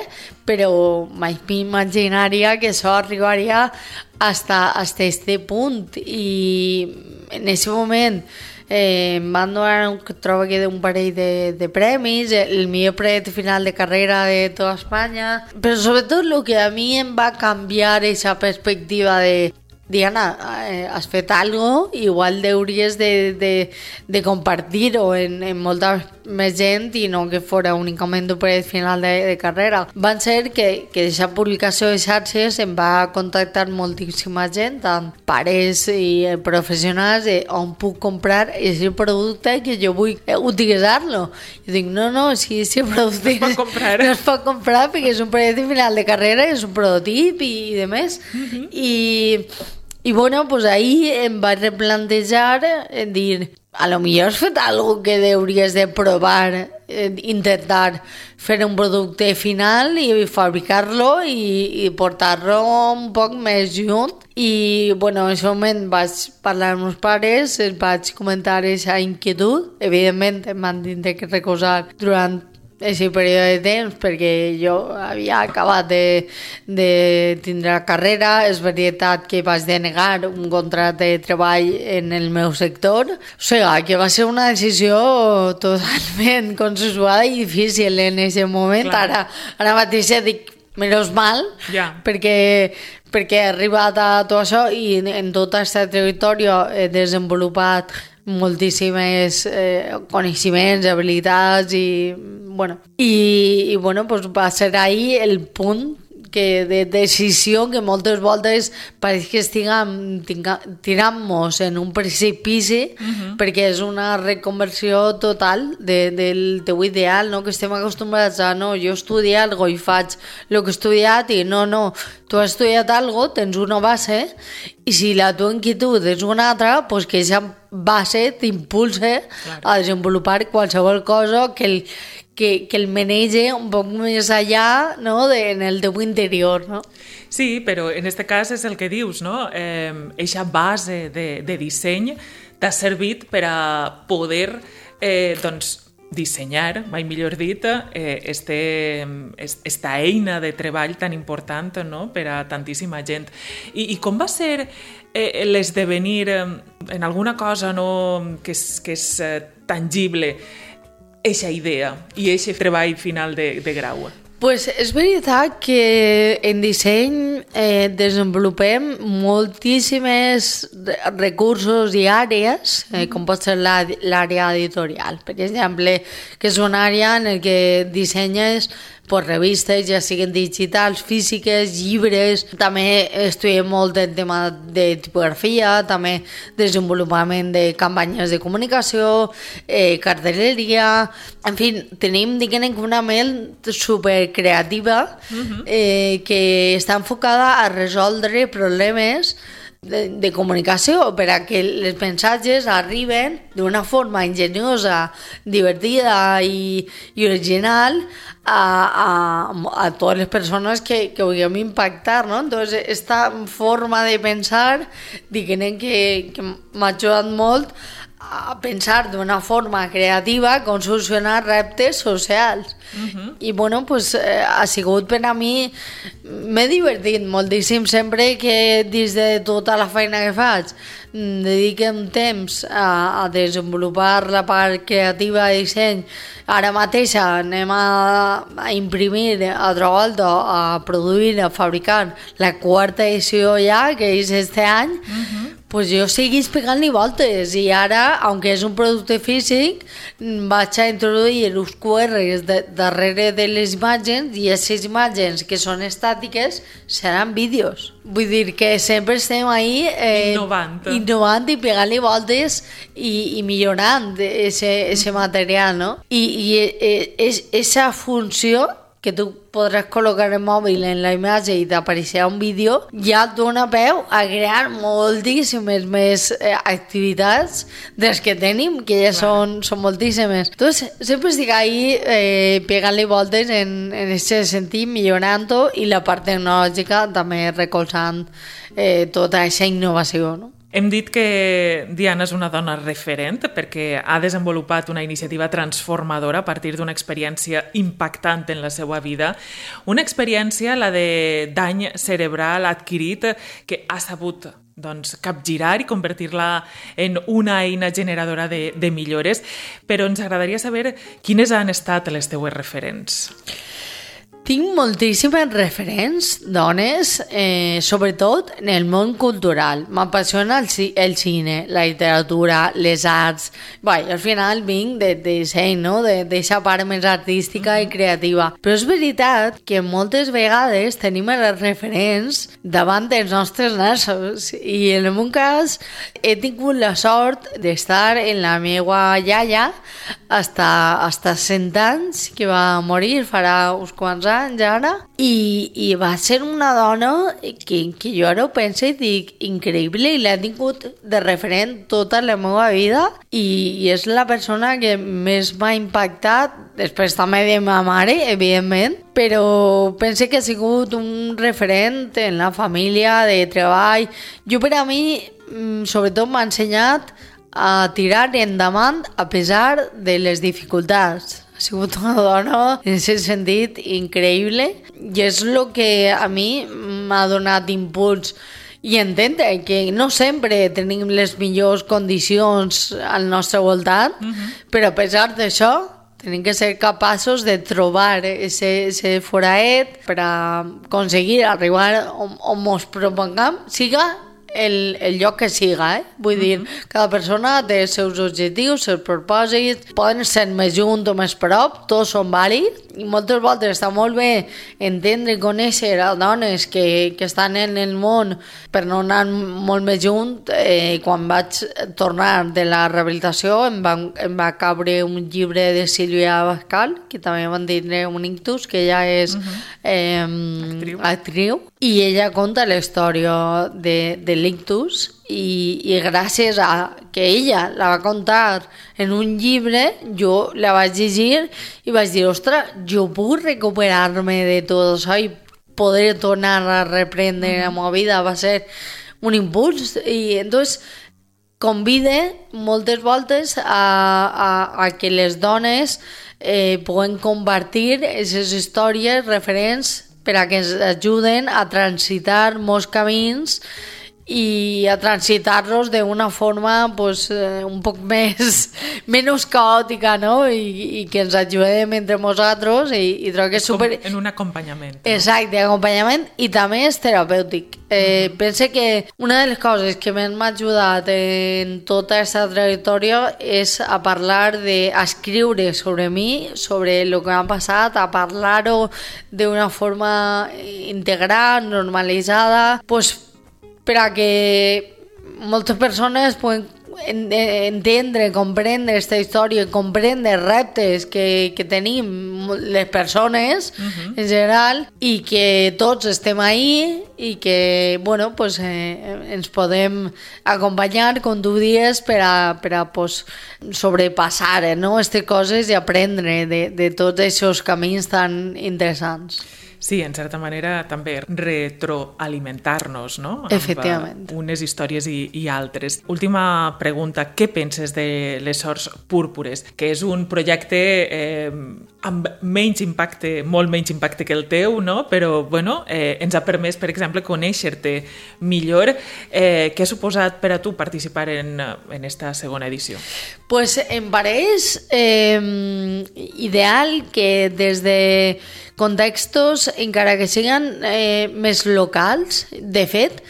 però mai m'imaginaria que això arribaria hasta, hasta este punt i en aquest moment Eh, em van donar, trobo que un parell de, de premis, el millor projecte final de carrera de tota Espanya, però sobretot el que a mi em va canviar aquesta perspectiva de Diana, eh, has fet algo, igual hauries de, de, de compartir-ho en, en molta més gent i no que fora únicament un projecte final de, de carrera. Van ser que, que aquesta publicació de xarxes em va contactar moltíssima gent, tant pares i professionals, de on puc comprar aquest producte que jo vull utilitzar-lo. Jo dic, no, no, si aquest producte no es pot comprar, no es pot comprar perquè és un projecte final de carrera, és un prototip i, i de més. Uh-huh. I I bueno, pues ahí em vaig replantejar en dir, a lo millor has fet algo que hauries de provar, eh, intentar fer un producte final i fabricar-lo i, i portar-lo un poc més junt. I bueno, en aquest moment vaig parlar amb els pares, els vaig comentar aquesta inquietud. Evidentment em van tindre que recolzar durant aquest període de temps perquè jo havia acabat de, de tindre la carrera. És veritat que vaig denegar un contracte de treball en el meu sector, o sigui que va ser una decisió totalment consensuada i difícil en aquest moment. Ara, ara mateix dic menys mal, yeah. perquè perquè he arribat a tot això i en tota aquesta trajectòria he desenvolupat moltíssimes eh, coneixements, habilitats i bueno, i, i bueno, pues va ser ahí el punt que de decisió que moltes voltes pareix que estiguem tirant-nos en un precipici uh-huh. perquè és una reconversió total de, del teu ideal, no? Que estem acostumbrats a no, jo estudio algo i faig el que he estudiat i no, no, tu has estudiat algo, tens una base i si la tua inquietud és una altra, pues que aquesta base t'impulsa claro. a desenvolupar qualsevol cosa que el Que, que el menege un poc més allà, no? de, en el teu interior, no? Sí, però en aquest cas és el que dius, no? Eh, eixa base de, de disseny t'ha servit per a poder eh, doncs, dissenyar, mai millor dit, eh, este, esta eina de treball tan important, no? Per a tantíssima gent. I, i com va ser eh, l'esdevenir eh, en alguna cosa no? que és, que és eh, tangible, eixa idea i eixe treball final de, de grau? Pues és veritat que en disseny eh, desenvolupem moltíssimes recursos i àrees, eh, com pot ser l'àrea editorial, per exemple, que és una àrea en què dissenyes pues, revistes, ja siguin digitals, físiques, llibres. També estudiem molt el tema de tipografia, també desenvolupament de campanyes de comunicació, eh, cartelleria. En fi, tenim, diguem, una ment supercreativa eh, que està enfocada a resoldre problemes de, de comunicació per a que els missatges arriben d'una forma enginyosa, divertida i, i original a, a, a totes les persones que, que vulguem impactar, no? Entonces, esta forma de pensar, diguem que, que m'ha ajudat molt a pensar d'una forma creativa com solucionar reptes socials. Uh-huh. I bueno, pues, eh, ha sigut per a mi, m'he divertit moltíssim sempre que dins de tota la feina que faig dediquem temps a, a desenvolupar la part creativa de disseny. Ara mateix anem a, a imprimir a Travolta, a produir, a fabricar la quarta edició ja, que és este any. Uh-huh. pues jo seguís pegant-li voltes i ara, aunque és un producte físic, vaig a introduir els Q Rs de, darrere de les imatges i aquestes imatges que són estàtiques seran vídeos. Vull dir que sempre estem ahí eh, innovant. innovant i pegant-li voltes i, i millorant aquest material, no? I, i és, esa funció que tu podràs col·locar el mòbil en la imatge i t'apareixerà un vídeo, ja et dona peu a crear moltíssimes més eh, activitats dels que tenim, que ja són, són moltíssimes. Entonces, sempre estic ahí eh, pegant-li voltes en aquest sentit, millorant-ho, i la part tecnològica també recolzant eh, tota aquesta innovació, no? Hem dit que Diana és una dona referent perquè ha desenvolupat una iniciativa transformadora a partir d'una experiència impactant en la seva vida. Una experiència, la de dany cerebral adquirit, que ha sabut doncs, capgirar i convertir-la en una eina generadora de, de millores. Però ens agradaria saber quines han estat les teues referents. Tinc moltíssimes referents, dones, eh, sobretot en el món cultural. M'apassiona el, el cine, la literatura, les arts. Bé, al final vinc de, de disseny, no? D'aquesta part més artística i creativa. Però és veritat que moltes vegades tenim els referents davant dels nostres nassos. I en el meu cas he tingut la sort d'estar en la meva iaia hasta, hasta cent anys, que va morir farà uns quants anys ara, i, i va ser una dona que, que jo ara ho penso i dic increïble, i l'he tingut de referent tota la meva vida, i, i és la persona que més m'ha impactat, després també de ma mare, evidentment, però penso que ha sigut un referent en la família, de treball. Jo, per a mi, sobretot m'ha ensenyat a tirar endavant a pesar de les dificultats. Ha sigut una dona, en aquest sentit, increïble, i és el que a mi m'ha donat impuls i entendre que no sempre tenim les millors condicions al nostre voltant, uh-huh. però a pesar d'això tenim que ser capaços de trobar ese foraet per a aconseguir arribar on, on ens propongam, siga El, el lloc que siga, eh? Vull dir, mm-hmm. cada persona té els seus objectius, els seus propòsits, poden ser més junt o més prop, tots són vàlids, i moltes voltes està molt bé entendre i conèixer a dones que, que estan en el món per no anar molt més junt. Eh, quan vaig tornar de la rehabilitació em va, em va caure un llibre de Sílvia Bascal, que també van tindre un ictus, que ella és mm-hmm. eh, actriu. actriu, i ella conta la història de, de l'ictus, i, i gràcies a que ella la va contar en un llibre, jo la vaig llegir i vaig dir, ostres, jo puc recuperar-me de tot això i poder tornar a reprendre la meva vida. Va ser un impuls, i entonces convide moltes voltes a, a, a que les dones eh, puguen compartir aquestes històries referents per a que ens ajuden a transitar molts camins i a transitar-los d'una forma pues, eh, un poc més menys caòtica, no? I, i que ens ajudem entre nosaltres, i, i trobo que és super... En un acompanyament. No? Exacte, acompanyament, i també és terapèutic. Eh, mm-hmm. Pense que una de les coses que més m'ha ajudat en tota aquesta trajectòria és a parlar, de, a escriure sobre mi, sobre el que m'ha passat, a parlar-ho d'una forma integral, normalitzada, pues, per a que moltes persones poden entendre, comprendre aquesta història, comprendre els reptes que, que tenim les persones uh-huh. en general, i que tots estem ahí i que bueno, pues, eh, ens podem acompanyar, com tu dius, per a, per a pues, sobrepassar no? aquestes coses i aprendre de, de tots aquests camins tan interessants. Sí, en certa manera també retroalimentar-nos, no? Efectivament. Amb unes històries i, i altres. Última pregunta, què penses de Les Sorts Púrpures? Que és un projecte eh, amb menys impacte, molt menys impacte que el teu, no? Però, bueno, eh, ens ha permès, per exemple, conèixer-te millor. Eh, què ha suposat per a tu participar en, en esta segona edició? Pues em pareix eh, ideal que des de contextos, encara que siguin eh, més locals, de fet,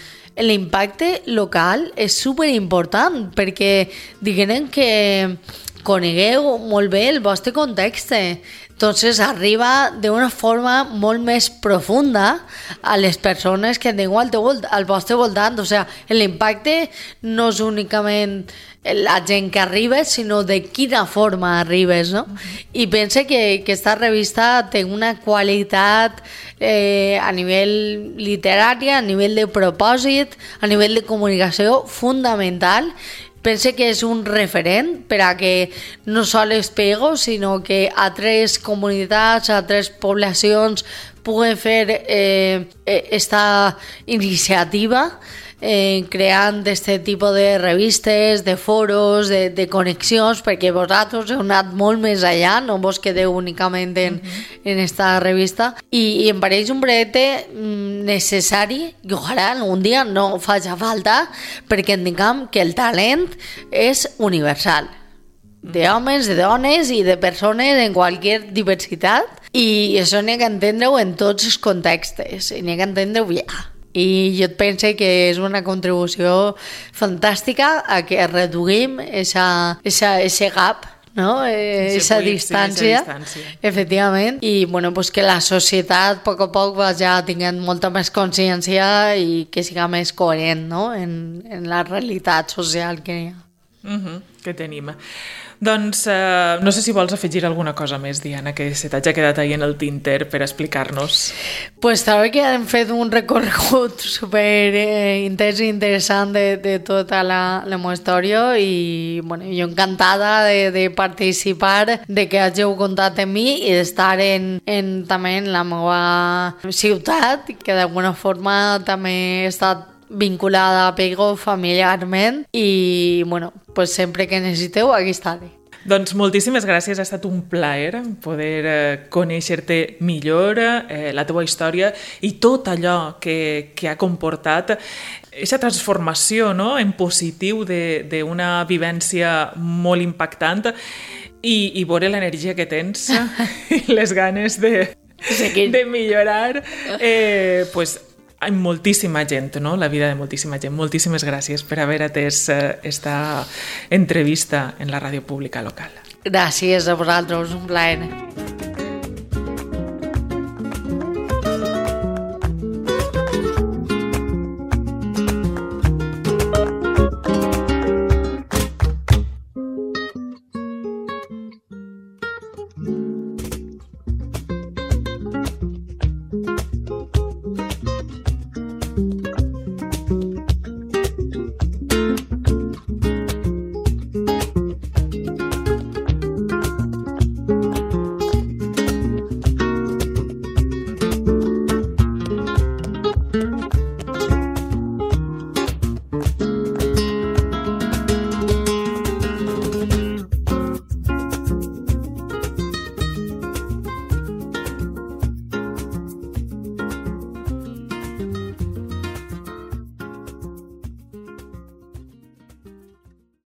l'impacte local és superimportant perquè diguem que conegueu molt bé el vostre context. Entonces arriba d'una forma molt més profunda a les persones que teniu al, teu, al vostre voltant. O sigui, l'impacte no és únicament la gent que arriba, sinó de quina forma arribes, no? Uh-huh. I pense que, que esta revista té una qualitat eh, a nivell literari, a nivell de propòsit, a nivell de comunicació fundamental. Pense que és un referent per a que no sols Pego, sinó que altres comunitats, altres poblacions puguen fer eh, esta iniciativa eh, creant este tipus de revistes, de foros, de, de connexions, perquè vosaltres heu anat molt més allà, no vos quedeu únicament en, uh-huh. en esta revista, i, i em pareix un projecte necessari, i ojalà algun dia no faci falta, perquè entenguem que el talent és universal, d'homes, de dones i de persones en qualsevol diversitat, i això n'hi ha que entendre-ho en tots els contextos, i n'hi ha que entendre-ho ja. I jo penso que és una contribució fantàstica a que reduïm ese gap, no? Esa distància, efectivament, i bueno, pues que la societat a poc a poc vagi tinguent molta més consciència i que siga més coherent, no? en, en la realitat social que hi ha. Uh-huh, que tenim. Doncs eh, no sé si vols afegir alguna cosa més, Diana, que se t'hagi quedat ahí en el tinter per explicar-nos. Pues també que hem fet un recorregut super eh, intens i interessant de, de tota la, la meva història i bueno, jo encantada de, de participar, de que hàgiu contat amb mi i d'estar en, en, també en la meva ciutat, que d'alguna forma també he estat vinculada a Pego familiarment i bueno, pues sempre que necessiteu aquí estaré. Doncs moltíssimes gràcies, ha estat un plaer poder eh, conèixer-te millor, eh, la teva història i tot allò que, que ha comportat aquesta transformació, no?, en positiu d'una vivència molt impactant i, i veure l'energia que tens i les ganes de, de millorar, eh, pues, amb moltíssima gent, no? La vida de moltíssima gent. Moltíssimes gràcies per haver atès esta entrevista en la ràdio pública local. Gràcies a vosaltres, un plaer.